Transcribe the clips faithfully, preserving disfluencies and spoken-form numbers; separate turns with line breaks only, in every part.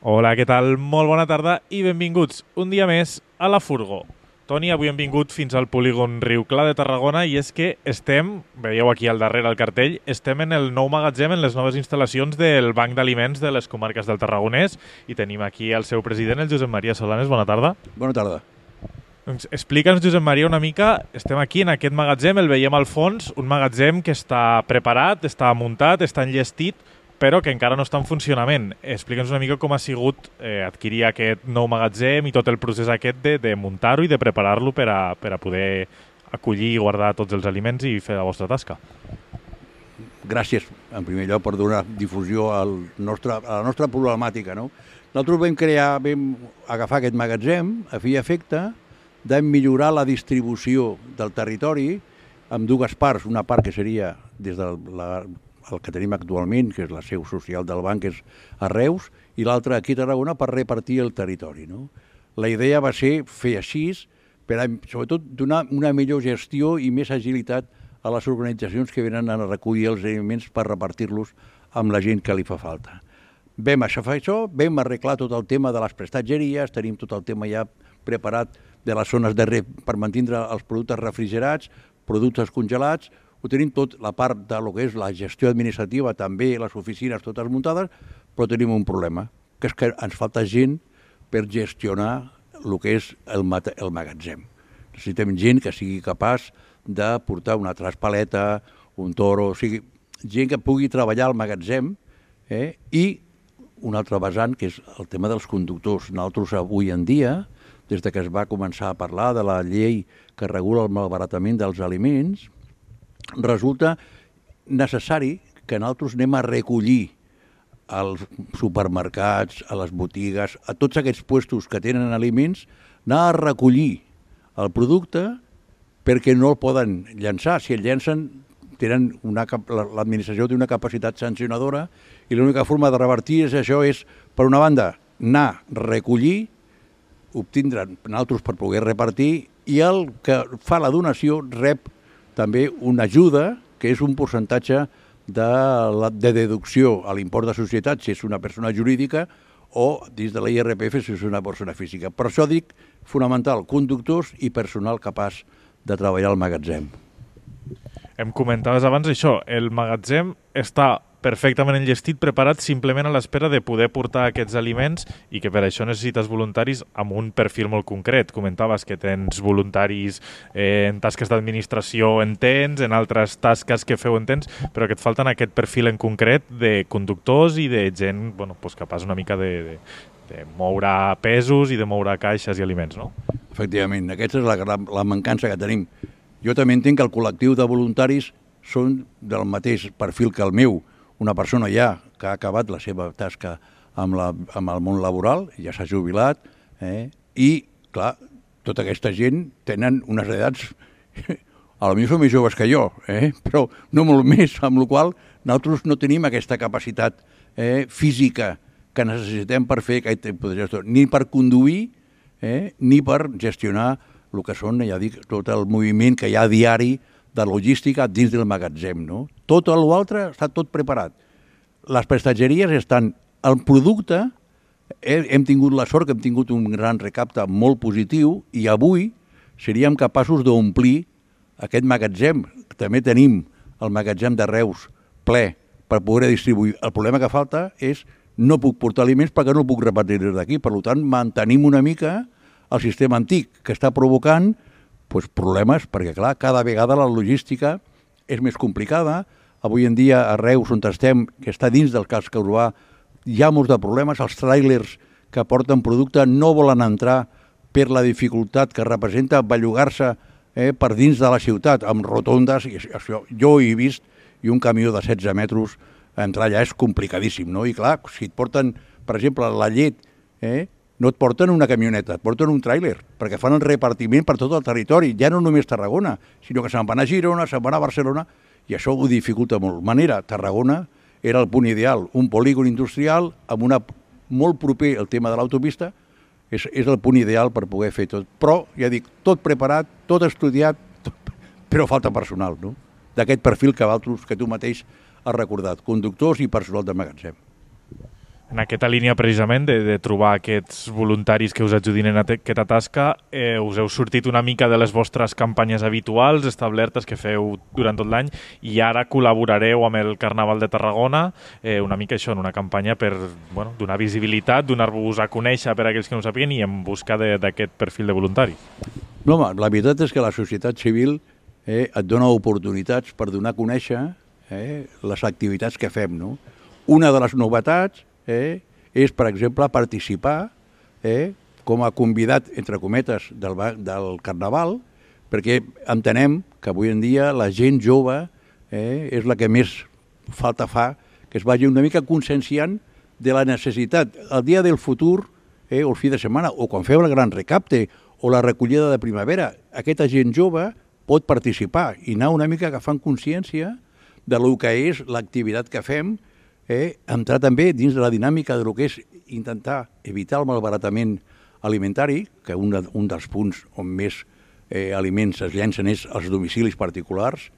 Hola, què tal? Molt bona tarda i benvinguts un dia més a la Furgo. Toni, avui hem vingut fins al polígon Riu Clar de Tarragona i és que estem, veieu aquí al darrere el cartell, estem en el nou magatzem, en les noves instal·lacions del Banc d'Aliments de les comarques del Tarragonès i tenim aquí el seu president, el Josep Maria Solanes. Bona tarda.
Bona tarda.
Doncs explica'ns, Josep Maria, una mica, estem aquí en aquest magatzem, el veiem al fons, un magatzem que està preparat, està muntat, està enllestit, però que encara no està en funcionament. Explica'ns una mica com ha sigut eh, adquirir aquest nou magatzem i tot el procés aquest de, de muntar-ho i de preparar-lo per a, per a poder acollir i guardar tots els aliments i fer la vostra tasca.
Gràcies, en primer lloc, per donar difusió al nostre, a la nostra problemàtica. No? Nosaltres vam crear, vam agafar aquest magatzem a fi i efecte de millorar la distribució del territori amb dues parts. Una part que seria des de la el que tenim actualment, que és la seu social del banc, que és a Reus, i l'altra aquí a Tarragona per repartir el territori. No? La idea va ser fer així, per a, sobretot donar una millor gestió i més agilitat a les organitzacions que venen a recollir els aliments per repartir-los amb la gent que li fa falta. Vam això, això, vam arreglar tot el tema de les prestatgeries, tenim tot el tema ja preparat de les zones de re, per mantindre els productes refrigerats, productes congelats. Ho tenim tot, la part de lo que és la gestió administrativa, també les oficines totes muntades, però tenim un problema, que és que ens falta gent per gestionar el que és el, el magatzem. Necessitem gent que sigui capaç de portar una traspaleta, un toro, o sigui, gent que pugui treballar al magatzem, eh? I un altre vessant, que és el tema dels conductors. Nosaltres avui en dia, des de que es va començar a parlar de la llei que regula el malbaratament dels aliments, resulta necessari que nosaltres anem a recollir als supermercats, a les botigues, a tots aquests puestos que tenen aliments, anar a recollir el producte perquè no el poden llançar. Si el llancen, tenen una, l'administració té una capacitat sancionadora i l'única forma de revertir és això és, per una banda, anar a recollir, obtindre nosaltres per poder repartir, i el que fa la donació rep també una ajuda, que és un percentatge de, la, de deducció a l'import de societat, si és una persona jurídica, o dins de la I R P F si és una persona física. Per això dic, fonamental, conductors i personal capaç de treballar al magatzem.
Em comentaves abans això, el magatzem està perfectament enllestit, preparat simplement a l'espera de poder portar aquests aliments i que per això necessites voluntaris amb un perfil molt concret. Comentaves que tens voluntaris eh, en tasques d'administració en tens, en altres tasques que feu en tens, però que et falten aquest perfil en concret de conductors i de gent bueno, pues capaç una mica de, de, de moure pesos i de moure caixes i aliments, no?
Efectivament, aquesta és la, la mancança que tenim. Jo també entenc que el col·lectiu de voluntaris són del mateix perfil que el meu, una persona ja que ha acabat la seva tasca amb, la, amb el món laboral, ja s'ha jubilat, eh? I, clar, tota aquesta gent tenen unes edats, a lo millor són més joves que jo, eh? Però no molt més, amb la qual cosa nosaltres no tenim aquesta capacitat eh, física que necessitem per fer aquest tipus de gestió, ni per conduir, eh, ni per gestionar el que són, ja dic, tot el moviment que hi ha diari de logística dins del magatzem, no? Tot l'altre està tot preparat. Les prestatgeries estan... El producte, hem tingut la sort que hem tingut un gran recapte molt positiu i avui seríem capaços d'omplir aquest magatzem. També tenim el magatzem de Reus ple per poder distribuir. El problema que falta és no puc portar aliments perquè no puc repartir des d'aquí. Per tant, mantenim una mica el sistema antic que està provocant pues, problemes, perquè clar, cada vegada la logística és més complicada. Avui en dia a Reus, on estem, que està dins del casc urbà, hi ha molts de problemes. Els tràilers que porten producte no volen entrar per la dificultat que representa bellugar-se eh, per dins de la ciutat, amb rotondes. I això, jo he vist, i un camió de setze metres entrar allà és complicadíssim, no? I clar, si et porten, per exemple, la llet, eh, no et porten una camioneta, et porten un tràiler, perquè fan el repartiment per tot el territori, ja no només Tarragona, sinó que se'n van a Girona, se'n van a Barcelona, i això ho dificulta molt. De manera, Tarragona era el punt ideal, un polígon industrial amb una molt proper al tema de l'autopista, és, és el punt ideal per poder fer tot. Però, ja dic, tot preparat, tot estudiat, tot, però falta personal, no? D'aquest perfil que, altres, que tu mateix has recordat, conductors i personal de magatzem.
En aquesta línia, precisament, de, de trobar aquests voluntaris que us ajudin en aquesta tasca, eh, us heu sortit una mica de les vostres campanyes habituals, establertes, que feu durant tot l'any, i ara col·laborareu amb el Carnaval de Tarragona, eh, una mica això, en una campanya per bueno, donar visibilitat, donar-vos a conèixer per a aquells que no ho sàpiguen i en busca d'aquest perfil de voluntari.
No, home, la veritat és que la societat civil eh, et dona oportunitats per donar a conèixer eh, les activitats que fem, no? Una de les novetats eh, és, per exemple, participar eh, com a convidat, entre cometes, del, del Carnaval, perquè entenem que avui en dia la gent jove eh, és la que més falta fa que es vagi una mica conscienciant de la necessitat. El dia del futur, eh, o el fi de setmana, o quan feu el gran recapte, o la recollida de primavera, aquesta gent jove pot participar i anar una mica agafant consciència de lo que és l'activitat que fem, eh, entrar també dins de la dinàmica de lo que és intentar evitar el malbaratament alimentari, que un, de, un dels punts on més eh, aliments es llencen és als domicilis particulars.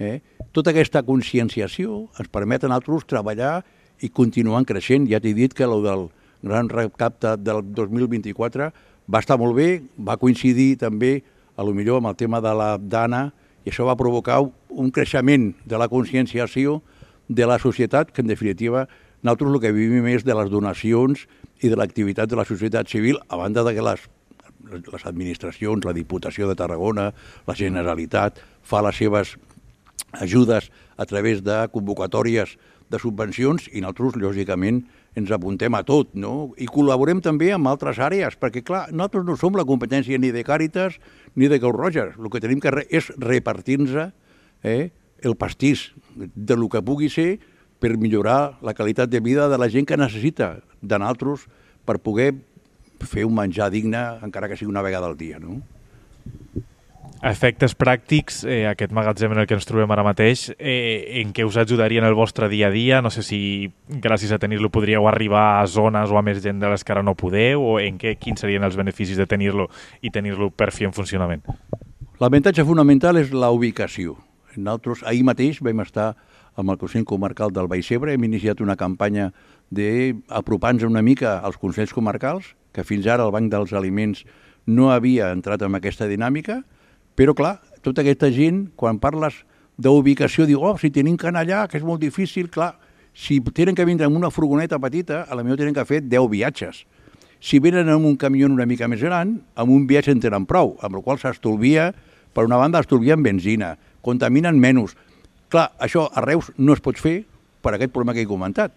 Eh. Tota aquesta conscienciació ens permet a nosaltres treballar i continuar creixent. Ja t'he dit que el del gran recapte del dos mil vint-i-quatre va estar molt bé, va coincidir també a lo millor amb el tema de la Dana, i això va provocar un creixement de la conscienciació de la societat, que en definitiva nosaltres el que vivim és de les donacions i de l'activitat de la societat civil, a banda de que les, les administracions, la Diputació de Tarragona, la Generalitat, fa les seves ajudes a través de convocatòries de subvencions i nosaltres, lògicament, ens apuntem a tot, no? I col·laborem també amb altres àrees, perquè, clar, nosaltres no som la competència ni de Càritas ni de Creu Roja. El que tenim que re és repartir-nos eh, el pastís de lo que pugui ser per millorar la qualitat de vida de la gent que necessita de nosaltres per poder fer un menjar digne, encara que sigui una vegada al dia, no?
A efectes pràctics, eh, aquest magatzem en el que ens trobem ara mateix, eh, en què us ajudaria en el vostre dia a dia? No sé si gràcies a tenir-lo podríeu arribar a zones o a més gent de les que ara no podeu, o en què, quins serien els beneficis de tenir-lo i tenir-lo per fi en funcionament?
L'avantatge fonamental és la ubicació. Nosaltres ahir mateix vam estar amb el Consell Comarcal del Baix Ebre, hem iniciat una campanya d'apropar-nos una mica als Consells Comarcals, que fins ara el Banc dels Aliments no havia entrat en aquesta dinàmica, però, clar, tota aquesta gent, quan parles d'ubicació, diu, oh, si tenim que anar allà, que és molt difícil, clar, si tenen que vindre amb una furgoneta petita, a la millor tenen que fer deu viatges. Si venen amb un camió una mica més gran, amb un viatge en tenen prou, amb el qual s'estolvia, per una banda, estolvien benzina, contaminen menys. Clar, això a Reus no es pot fer per aquest problema que he comentat.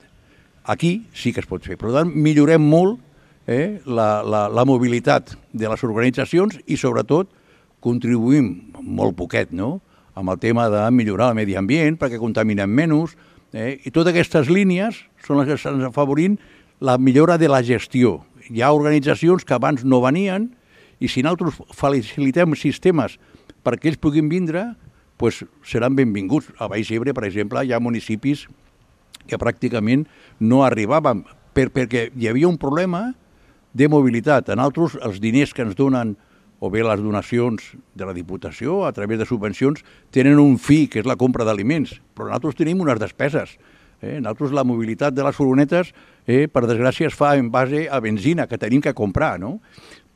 Aquí sí que es pot fer. Per tant, millorem molt eh, la, la, la mobilitat de les organitzacions i, sobretot, contribuïm molt poquet, no?, amb el tema de millorar el medi ambient perquè contaminem menys, eh? I totes aquestes línies són les que estan afavorint la millora de la gestió. Hi ha organitzacions que abans no venien i si nosaltres facilitem sistemes perquè ells puguin vindre, pues seran benvinguts. A Baix Ebre, per exemple, hi ha municipis que pràcticament no arribaven per, perquè hi havia un problema de mobilitat. A nosaltres els diners que ens donen o bé les donacions de la Diputació a través de subvencions, tenen un fi, que és la compra d'aliments, però nosaltres tenim unes despeses. Eh? Nosaltres la mobilitat de les furgonetes, eh, per desgràcia, es fa en base a benzina, que tenim que comprar, no?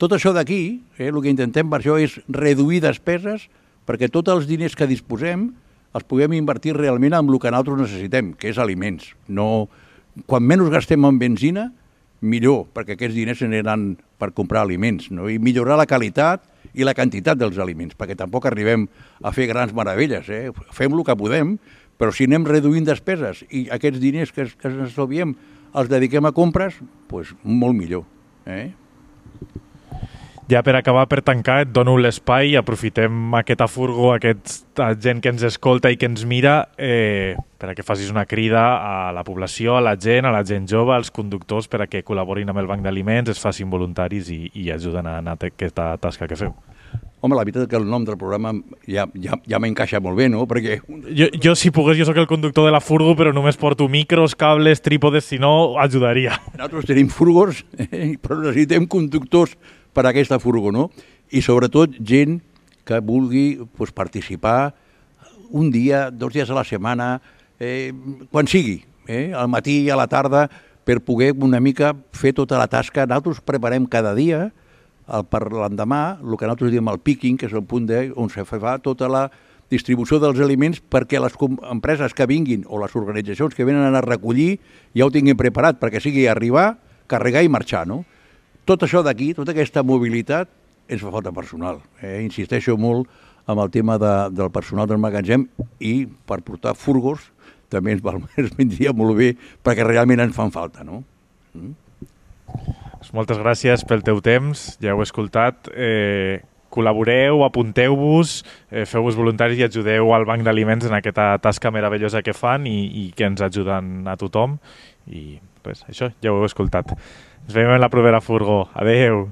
Tot això d'aquí, eh, el que intentem per això és reduir despeses perquè tots els diners que disposem els puguem invertir realment en el que nosaltres necessitem, que és aliments. No, quan menys gastem en benzina, millor, perquè aquests diners aniran per comprar aliments, no? I millorar la qualitat i la quantitat dels aliments, perquè tampoc arribem a fer grans meravelles. Eh? Fem el que podem, però si anem reduint despeses i aquests diners que, que ens estalviem els dediquem a compres, doncs molt millor. Eh?
Ja per acabar, per tancar, et dono l'espai, aprofitem aquesta furgo, aquesta gent que ens escolta i que ens mira, eh, per a que facis una crida a la població, a la gent, a la gent jove, als conductors, per a que col·laborin amb el Banc d'Aliments, es facin voluntaris i, i ajuden a anar a aquesta tasca que feu.
Home, la veritat és que el nom del programa ja, ja, ja m'encaixa molt bé, no? Perquè...
Jo, jo, si pogués, jo sóc el conductor de la furgo, però només porto micros, cables, trípodes, si no, ajudaria.
Nosaltres tenim furgos, eh? Però necessitem conductors per a aquesta furgo, no? I sobretot gent que vulgui pues, participar un dia, dos dies a la setmana, eh, quan sigui, eh? Al matí i a la tarda, per poder una mica fer tota la tasca. Nosaltres preparem cada dia, el, per l'endemà, el que nosaltres diem el picking, que és el punt de, on se fa tota la distribució dels aliments perquè les empreses que vinguin o les organitzacions que venen a recollir ja ho tinguin preparat, perquè sigui arribar, carregar i marxar, no? Tot això d'aquí, tota aquesta mobilitat, ens fa falta personal. Eh? Insisteixo molt amb el tema de, del personal del magatzem i per portar furgos també ens, val, ens vindria molt bé perquè realment ens fan falta, no? Mm?
Moltes gràcies pel teu temps, ja heu escoltat. Eh, col·laboreu, apunteu-vos, eh, feu-vos voluntaris i ajudeu al Banc d'Aliments en aquesta tasca meravellosa que fan i, i que ens ajuden a tothom. I res, això ja ho heu escoltat. Ens veiem en la propera furgó. Adeu!